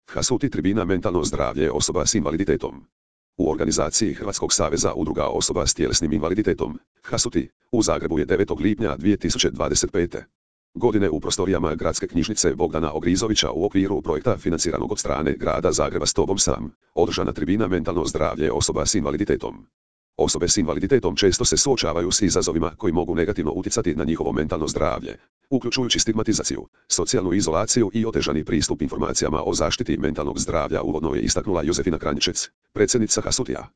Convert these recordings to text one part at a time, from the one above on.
Hasuti tribina mentalno zdravlje osoba s invaliditetom. U organizaciji Hrvatskog saveza udruga osoba s tjelesnim invaliditetom, Hasuti, u Zagrebu je 9. lipnja 2025. godine u prostorijama Gradske knjižnice Bogdana Ogrizovića u okviru projekta financiranog od strane Grada Zagreba S tobom sam, održana tribina mentalno zdravlje osoba s invaliditetom. Osobe s invaliditetom često se suočavaju s izazovima koji mogu negativno utjecati na njihovo mentalno zdravlje, uključujući stigmatizaciju, socijalnu izolaciju i otežani pristup informacijama o zaštiti mentalnog zdravlja, uvodno je istaknula Jozefina Kranjčec, predsjednica Hasutija.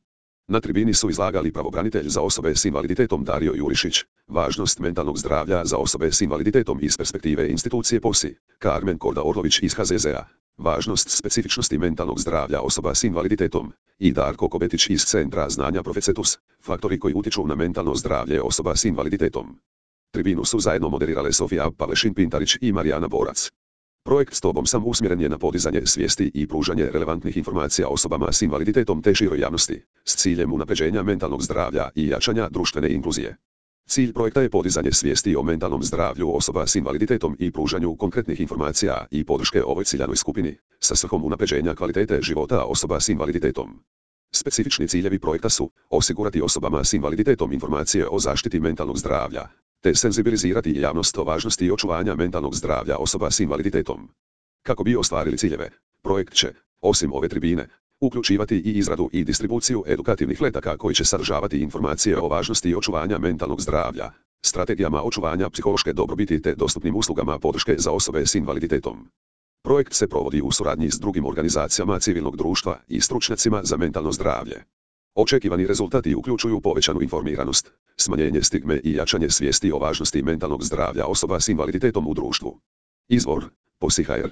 Na tribini su izlagali pravobranitelj za osobe s invaliditetom Dario Jurišić, važnost mentalnog zdravlja za osobe s invaliditetom iz perspektive institucije POSI, Karmen Korda Orlović iz HZZ-a, važnost specifičnosti mentalnog zdravlja osoba s invaliditetom, i Darko Kobetić iz Centra znanja Profecetus, faktori koji utječu na mentalno zdravlje osoba s invaliditetom. Tribinu su zajedno moderirale Sofija Pavlešin-Pintarić i Marijana Borac. Projekt S tobom sam usmjeren je na podizanje svijesti i pružanje relevantnih informacija osobama s invaliditetom te široj javnosti, s ciljem unapređenja mentalnog zdravlja i jačanja društvene inkluzije. Cilj projekta je podizanje svijesti o mentalnom zdravlju osoba s invaliditetom i pružanju konkretnih informacija i podrške ovoj ciljanoj skupini, sa svrhom unapređenja kvalitete života osoba s invaliditetom. Specifični ciljevi projekta su osigurati osobama s invaliditetom informacije o zaštiti mentalnog zdravlja, te senzibilizirati javnost o važnosti očuvanja mentalnog zdravlja osoba s invaliditetom. Kako bi ostvarili ciljeve, projekt će, osim ove tribine, uključivati i izradu i distribuciju edukativnih letaka koji će sadržavati informacije o važnosti očuvanja mentalnog zdravlja, strategijama očuvanja psihološke dobrobiti te dostupnim uslugama podrške za osobe s invaliditetom. Projekt se provodi u suradnji s drugim organizacijama civilnog društva i stručnjacima za mentalno zdravlje. Očekivani rezultati uključuju povećanu informiranost, smanjenje stigme i jačanje svijesti o važnosti mentalnog zdravlja osoba s invaliditetom u društvu. Izvor: POSI.hr